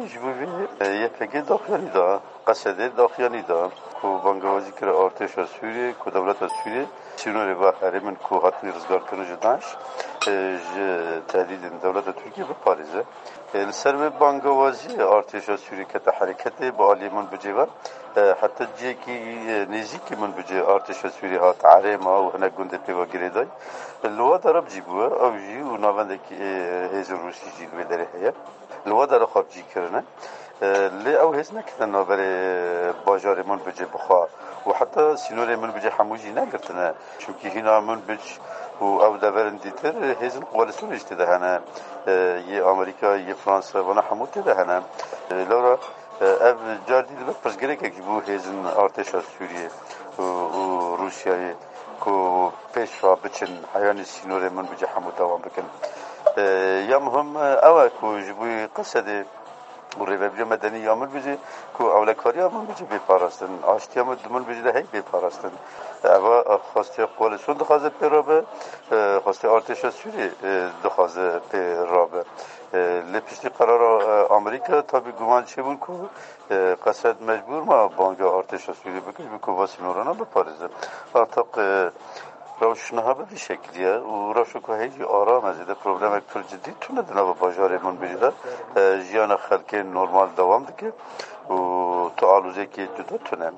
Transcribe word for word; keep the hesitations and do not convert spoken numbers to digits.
Ji bo vê, e, Y P G daxuyanî da, Qesedê daxuyanî da ku bangewazî kire artêşa Sûriyê ku dewleta Sûriyê sînorê va herêmin ku hatine rizgarkirin ji DAIŞ, e, ji tehdîdên dewleta Tirkiyê biparêze. E, li ser vê bangewaziyê artêşa Sûriyê kete hereketê bi aliyê Minbicê ve, e, heta cihekî, e, nêzîkî Minbicê artêşa Sûriyê hat erê ma û hinek gundê pê ve girêdayî. Li wa dera bi cî bûye, ew jî û navendekî, e, hêzên Rûsî jî li vê derê heye. Li wa dera xwe bi cî kirine. E, lê ew hêz neketine navberê bajarê Minbicê bi xwe û heta sînorê Minbicê hemû jî negirtine. Çimkî hîna Minbic û ew deverên dîtir hêzên koalîsyonê jî tê de hene. E, yê Amerîka, yê Fransa, vana hemû tê de hene. E, lewra, e, ev car dî dibe pirsgirêkek ji bo hêzên artêşa Sûriyê û, û Rûsyayê ku pêş ve biçin, heyanî sînorê Minbicê hemû dewam bikin. E, ya muhim, e, ew e ku ji bo Qesedê û rêvebiriya medenî ya Minbicê ku ewlekariya Minbicê bê parastin, aştiya min di Minbicê de hey bê parastin. Eva xwestiya koalîsyon dixwaze pê rabe, e, xwestiya artêşa Sûriyê, e, dixwaze pê rabe. E, lê piştî qerara, e, Amerîka tabî guman çêbûn ku, e, Qesed mecbûr ma banga artêşa Sûriyê bike, ji bo ku va sînorana biparêze. Artaq, e, rewş niha bi vî şekilî ye û rewşa ku heyî jî aram e, zêde problemek pir cidî tune di nava bajarê Minbicê de. E, jiyana xelkê normal dewam dike û tu aloziyekî cuda tune.